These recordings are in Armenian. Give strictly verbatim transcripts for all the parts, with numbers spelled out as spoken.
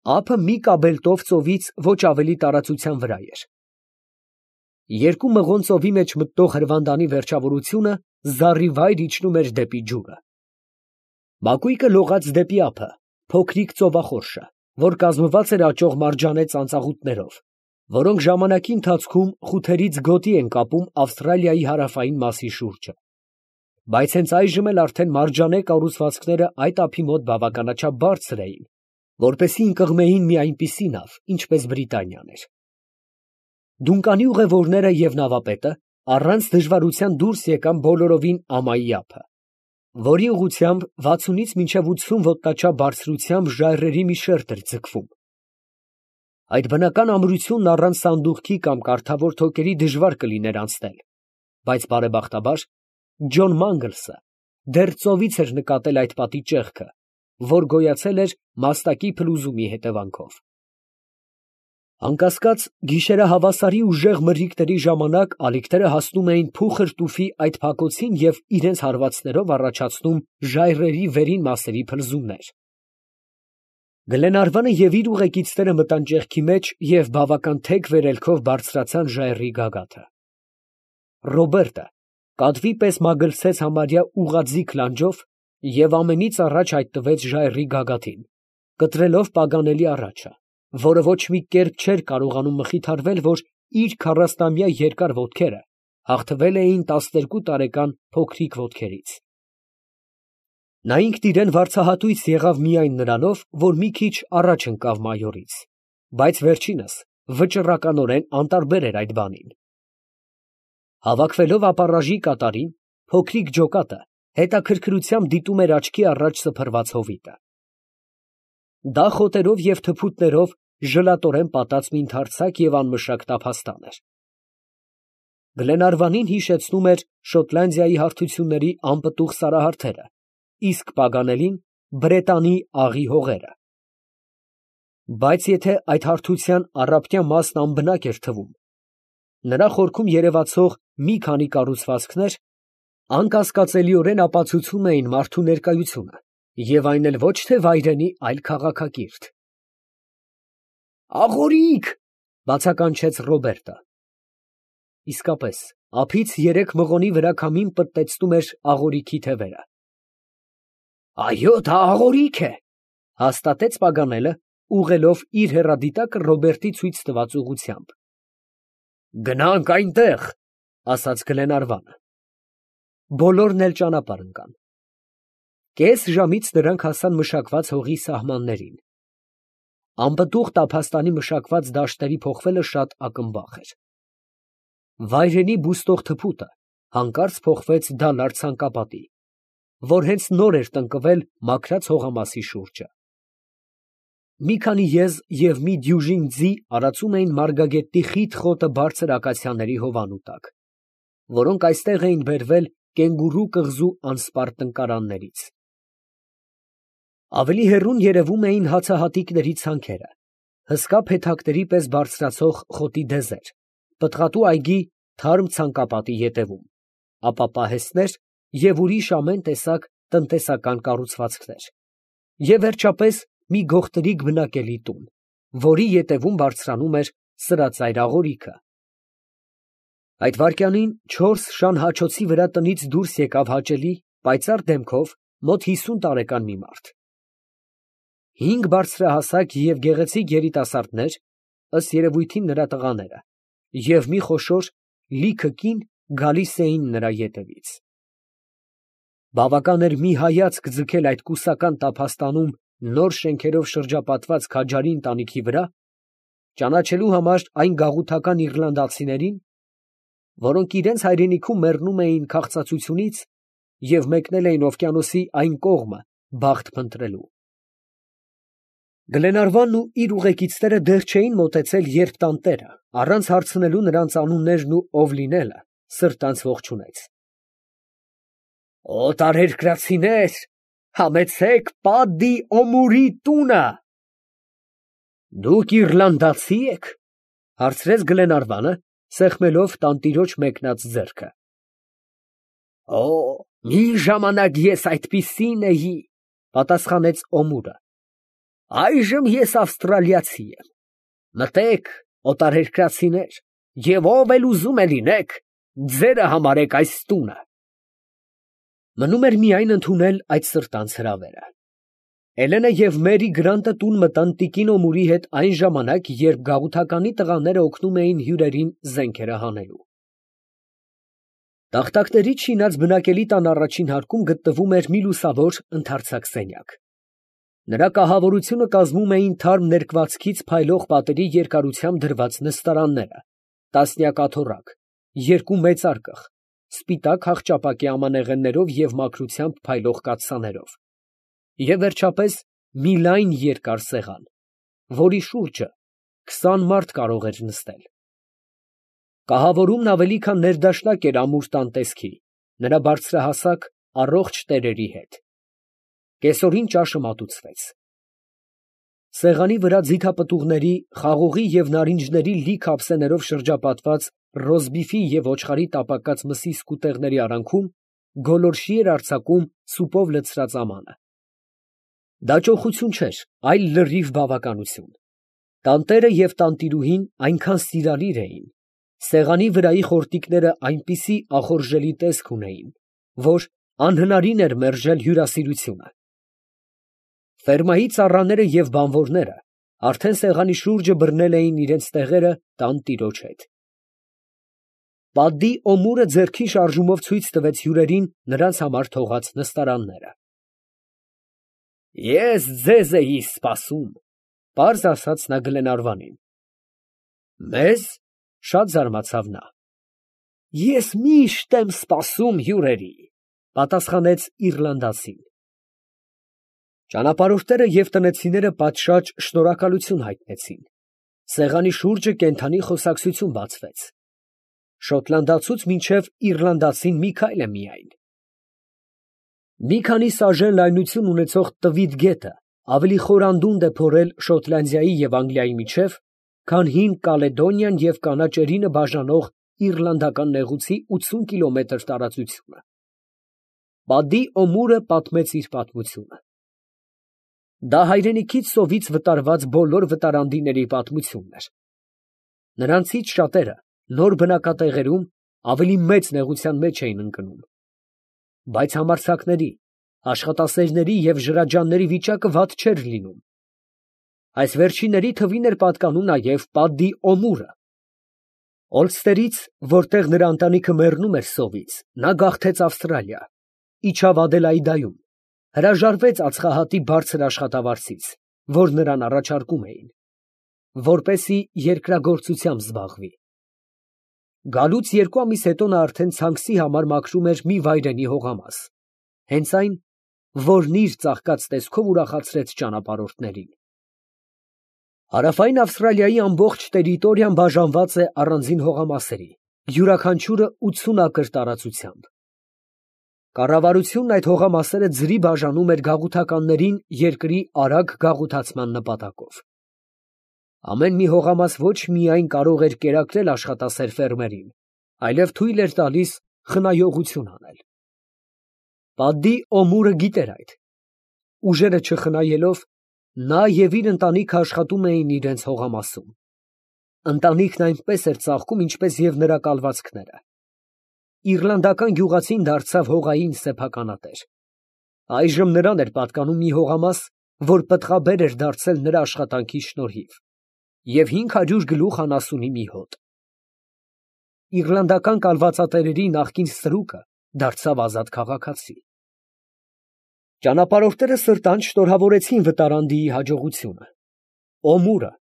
Ափը մի կաբելտով ծովից ոչ ավելի տարածության վրա էր։ Երկու մղոն ծովի մեջ մտնող հրվանդանի վերջավորությունը զառիվայր իջնում էր դեպի ջուրը։ Մակույկը լողաց դեպի ափը, փոքրիկ ծովախորշը, որ կազմված էր աճող մարջանե ծանծաղուտներով, որոնք ժամանակի ընթացքում խութերից գոտի են կապում Ավստրալիայի հարավային մասի շուրջը, բայց հենց այժմ էլ արդեն մարջանե կառուցվածքները այդ ափի մոտ բավականաչափ բարձր էին, որպեսզի ընկղմեին մի այնպիսի նավ, ինչպես Բրիտանիան էր։ Դունկանի ուղևորները և նավապետը առանց դժվարության դուրս եկան բոլորովին ամայի ափը, որի ուղղությամբ վաթսունից մինչև ութսուն ոտնաչափ բարձրությամբ ժայռերի մի շերտ էր ձգվում։ Այդ բնական ամրությունն առանց սանդուղքի կամ կառթավոր թոքերի դժվար կլիներ անցնել, բայց բարեբախտաբար Ջոն Մանգլսը դեռ ծովից էր նկատել այդ պատի ճեղքը, որ գոյացել էր մաստակի փլուզումի հետևանքով։ Անկասկած, գիշերահավասարի ուժեղ մրրիկների ժամանակ ալիքները հասնում էին փուխր տուֆի այդ փակոցին և իրենց հարվածներով առաջացնում ժայռերի վերին մասերի փլզումներ։ Գլենարվանը և իր ուղեկիցները մտան ճեղքի մեջ և բավական թեք վերելքով բարձրացան ժայռի գագաթը։ Ռոբերտը կատվի պես մագլցեց համարյա ուղղաձիգ լանջով և ամենից առաջ հայտնվեց ժայռի գագաթին, կտրելով պագանելի առաջը, որը ոչ մի կերպ չէր կարողանում մխիթարվել, որ իր քառասնամյա երկար ոտքերը հաղթվել էին տասներկու տարեկան փոքրիկ ոտքերից։ Նա ինքն իրան վարձահատույց եղավ միայն նրանով, որ մի քիչ առաջ ընկավ մայորից, բայց վերջինս վճռականորեն անտարբեր էր այդ բանին։ Հավաքվելով ապառաժի կատարին, փոքրիկ ջոկատը հետաքրքրությամբ դիտում էր աչքի առաջ սփռված հովիտը։ Դա խոտերով և թփուտներով ժլատորեն պատած մի ընդարձակ և անմշակ տափաստան էր։ Գլենարվանին հիշեցնում էր Շոտլանդիայի հարթությունների անպտուղ սարահարթերը, իսկ Պագանելին Բրետանի աղի հողերը։ Բայց եթե այդ հարթության առափնյա մասն անբնակ էր թվում, նրա խորքում երևացող մի քանի կառուցվածքներ անկասկածելիորեն ապացուցում էին մարդու ներկայությունը, և այն էլ ոչ թե վայրենի, այլ քաղաքակիրթ։ «Աղորիկ!» ֊ բացականչեց Ռոբերտը։ Իսկապես, ափից երեք մղոնի վրա քամին պտտեցնում էր աղորիքի թևերը։ «Այո, դա աղորիկ է, ֊ հաստատեց Պագանելը, ուղղելով իր հեռադիտակը Ռոբերտի ցույց տված ուղղությամբ։ ֊ Գնանք այնտեղ, ֊ ասաց Գլենարվանը։ Բոլորն էլ ճանապարհ ընկան։ Կես ժամից նրանք հասան մշակված հողի սահմաններին։ Անպտուղ տափաստանի մշակված դաշտերի փոխվելը շատ ակնբախ էր։ Վայրենի բուստող թփուտը հանկարծ փոխվեց դալար ցանկապատի, որ հենց նոր էր տնկվել մաքրած հողամասի շուրջը։ Մի քանի եզ և մի դյուժին ձի արածում էին մարգագետնի խիտ խոտը բարձր ակացիաների հովանու տակ, որոնք այստեղ էին բերվել կենգուրու կղզու անսպառ տնկարաններից։ Ավելի հեռուն երևում էին հացահատիկների ցանքերը, հսկա փեթակների պես բարձրացող խոտի դեզեր, պտղատու այգի թարմ ցանկապատի ետևում, ապա պահեստներ և ուրիշ ամեն տեսակ տնտեսական կառուցվածքներ, և վերջապես մի գողտրիկ բնակելի տուն, որի ետևում բարձրանում էր սրածայր աղորիքը։ Այդ վայրկյանին չորս շան հաչոցի վրա տնից դուրս եկավ հաճելի, պայծառ դեմքով մոտ հիսուն տարեկան մի մարդ։ Հինգ բարձրահասակ և գեղեցիկ երիտասարդներ, ըստ երևույթին նրա տղաները, և մի խոշոր, լիքը կին գալիս էին նրա ետևից։ Բավական էր մի հայացք ձգել այդ կուսական տափաստանում նոր շենքերով շրջապատված քաջարի ընտանիքի վրա, ճանաչելու համար այն գաղութական իռլանդացիներին, որոնք իրենց հայրենիքում մեռնում էին քաղցածությունից և մեկնել էին օվկիանոսի այն կողմը բախտ փնտրելու։ Գլենարվանն ու իր ուղեկիցները դեռ չէին մոտեցել, երբ տանտերը, առանց հարցնելու նրանց անուններն ու ով լինելը, սրտանց ողջունեց։ «Օտարերկրացիներ, համեցեք Պատդի Օմուրի տունը»։ ֊ Դուք իռլանդացի եք, ֊ հարցրեց Գլենարվանը, սեղմելով տանտիրոջ մեկնած ձեռքը։ ֊ Օ, մի ժամանակ ես այդպիսին էի, ֊ պատասխանեց Օմուրը։ Այժմ ես ավստրալիացի եմ։ Մտեք, օտարերկրացիներ, և ով էլ ուզում է լինեք, ձերը համարեք այս տունը։ Մնում էր միայն ընդունել այդ սրտանց հրավերը։ Էլենը և Մերի Գրանտը տուն մտան տիկին Օմուրի հետ այն ժամանակ, երբ գաղութականի տղաները օգնում էին հյուրերին զենքերը հանելու։ Տախտակներից շինած բնակելի տան առաջին հարկում գտնվում էր մի լուսավոր ընդարձակ սենյակ։ Նրա կահավորությունը կազմում էին թարմ ներկվածքից փայլող պատերի երկարությամբ դրված նստարանները, տասնյակ աթոռակ, երկու մեծ արկղ, սպիտակ հախճապակի ամանեղեններով և մաքրությամբ փայլող կաթսաներով, և վերջապես մի լայն երկար սեղան, որի շուրջը քսան մարդ կարող էր նստել։ Կահավորումն ավելի քան ներդաշնակ էր ամուր տան տեսքի, նրա բարձրահասակ, առողջ տերերի հետ։ Կեսօրին ճաշը մատուցվեց։ Սեղանի վրա ձիթապտուղների, խաղողի և նարինջների լիք ափսեներով շրջապատված ռոզբիֆի և ոչխարի տապակած մսի սկուտեղների արանքում գոլորշի էր արձակում սուպով լցրած ամանը։ Դա ճոխություն չէր, այլ լրիվ բավականություն։ Տանտերը և տանտիրուհին այնքան սիրալիր էին, սեղանի վրայի խորտիկները այնպիսի ախորժելի տեսք ունեին, որ անհնարին էր մերժել հյուրասիրությունը։ Ֆերմայի ծառաները և բանվորները արդեն սեղանի շուրջը բռնել էին իրենց տեղերը տան տիրոջ հետ։ Պատդի Օմուրը ձեռքի շարժումով ցույց տվեց հյուրերին նրանց համար թողած նստարանները։ Ես ձեզ էի սպասում, ֊ պարզ ասաց նա Գլենարվանին։ Մեզ, ֊ շատ զարմացավ նա։ Ես միշտ եմ սպասում հյուրերի, ֊ պատասխանեց իռլանդացին։ Ճանապարհորդները և տնեցիները պատշաճ շնորհակալություն հայտնեցին։ Սեղանի շուրջը կենդանի խոսակցություն բացվեց։ Շոտլանդացուց մինչև իռլանդացին մի քայլ է միայն։ Մի քանի սաժեն լայնություն ունեցող տվիտ գետը ավելի խորանդունդ է փորել Շոտլանդիայի և Անգլիայի միջև, քան հին Կալեդոնիան և կանաչ էրինը բաժանող իռլանդական նեղուցի ութսուն կիլոմետր տարածությունը։ Պատդի Օմուրը պատմեց իր պատմությունը։ Դա հայրենիքից սովից վտարված բոլոր վտարանդիների պատմությունն էր։ Նրանցից շատերը նոր բնակատեղերում ավելի մեծ նեղության մեջ էին ընկնում։ Բայց համարձակների, աշխատասերների և ժրաջանների վիճակը վատ չէր լինում։ Այս վերջինների թվին էր պատկանում նաև Պատդի Օմուրը։ Օլստերից, որտեղ նրա ընտանիքը մեռնում էր սովից, նա գաղթեց Ավստրալիա, իջավ Ադելաիդայում, հրաժարվեց ածխահատի բարձր աշխատավարձից, որ նրան առաջարկում էին, որպեսզի երկրագործությամբ զբաղվի։ Գալուց երկու ամիս հետո նա արդեն ցանքսի համար մաքրում էր մի վայրենի հողամաս, հենց այն, որն իր ծաղկած տեսքով ուրախացրեց ճանապարհորդներին։ Հարավային Ավստրալիայի ամբողջ տերիտորիան բաժանված է առանձին հողամասերի, յուրաքանչյուրը ութսուն ակր տարածությամբ։ Կառավարությունն այդ հողամասերը ձրի բաժանում էր գաղութականներին երկրի արագ գաղութացման նպատակով։ Ամեն մի հողամաս ոչ միայն կարող էր կերակրել աշխատասեր ֆերմերին, այլև թույլ էր տալիս խնայողություն անել։ Պատդի Օմուրը գիտեր այդ։ Ուժերը չխնայելով, նա և իր ընտանիքը աշխատում էին իրենց հողամասում։ Ընտանիքն այնպես էր ծաղկում, ինչպես և նրա կալվածքները։ Իռլանդական գյուղացին դարձավ հողային սեփականատեր։ Այժմ նրան էր պատկանում մի հողամաս, որ պտղաբեր էր դարձել նրա աշխատանքի շնորհիվ, և հինգ հարյուր գլուխ անասունի մի հոտ։ Իռլանդական կալվածատերերի նախկին ստրուկը դարձավ ազատ քաղաքացի։ Ճանապարհորդները սրտանց շնորհավորեցին վտարանդիի հաջողությունը։ Օմուրը,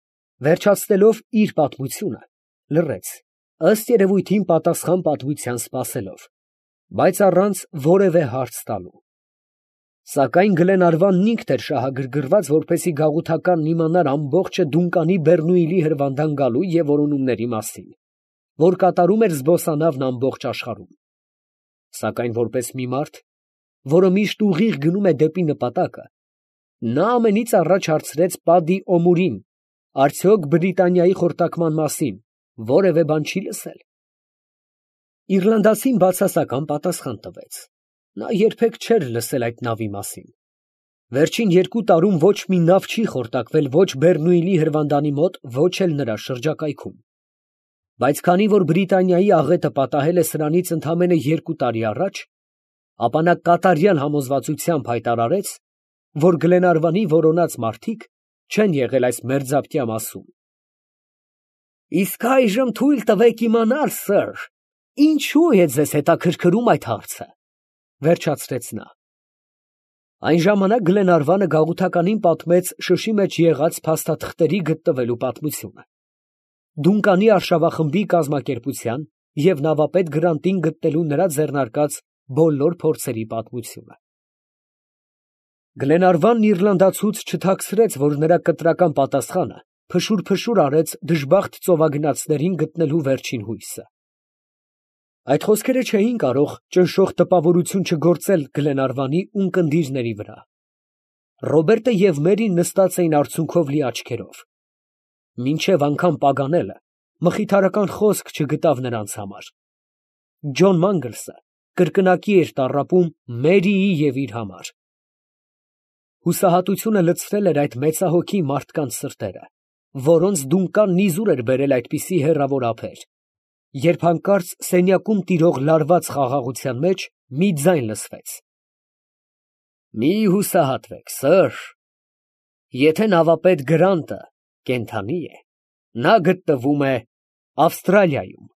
վերջացնելով իր պատմությունը, լռեց, ըստ երևույթին պատասխան պատմության սպասելով, բայց առանց որևէ հարց տալու։ Սակայն Գլենարվանն ինքն էր շահագրգռված, որպեսզի գաղութականն իմանար ամբողջը Դունկանի Բեռնուիլի հրվանդան գալու և որոնումների մասին, որ կատարում էր զբոսանավն ամբողջ աշխարհում։ Սակայն որպես մի մարդ, որը միշտ ուղիղ գնում է դեպի նպատակը, նա ամենից առաջ հարցրեց Պատդի Օմուրին, արդյոք Բրիտանիայի խորտակման մասին որևէ բան չի լսել։ Իռլանդացին բացասական պատասխան տվեց. նա երբեք չէր լսել այդ նավի մասին։ Վերջին երկու տարում ոչ մի նավ չի խորտակվել ոչ Բեռնուիլի հրվանդանի մոտ, ոչ էլ նրա շրջակայքում. բայց քանի որ Բրիտանիայի աղետը պատահել է սրանից ընդամենը երկու տարի առաջ, ապա նա կատարյալ համոզվածությամբ հայտարարեց, որ Գլենարվանի որոնած մարդիկ չեն եղել այս մերձապտյա մասում։ Իսկ այժմ թույլ տվեք իմանալ, սըր, ինչու է ձեզ հետաքրքրում այդ հարցը, վերջացրեց նա։ Այն ժամանակ Գլենարվանը գաղութականին պատմեց շշի մեջ եղած փաստաթղթերի գտնվելու պատմությունը, Դունկանի արշավախմբի կազմակերպության և նավապետ Գրանտին գտնելու նրա ձեռնարկած բոլոր փորձերի պատմությունը։ Գլենարվանն իռլանդացուց չթաքցրեց, որ նրա կտրական պատասխանը փշուր֊փշուր արեց դժբախտ ծովագնացներին գտնելու վերջին հույսը։ Այդ խոսքերը չէին կարող ճնշող տպավորություն չգործել Գլենարվանի ունկնդիրների վրա։ Ռոբերտը և Մերին նստած էին արցունքով լի աչքերով։ Մինչև անգամ պագանելը մխիթարական խոսք չգտավ նրանց համար։ Ջոն Մանգլսը կրկնակի էր տառապում Մերիի և իր համար։ Հուսահատությունը լցրել էր այդ մեծահոգի մարդկանց սրտերը, որոնց Դունկանն իզուր էր բերել այդպիսի հեռավոր ափեր, երբ հանկարծ սենյակում տիրող լարված խաղաղության մեջ մի ձայն լսվեց. «Մի հուսահատվեք, սըր, եթե նավապետ Գրանտը կենդանի է, նա գտնվում է Ավստրալիայում»։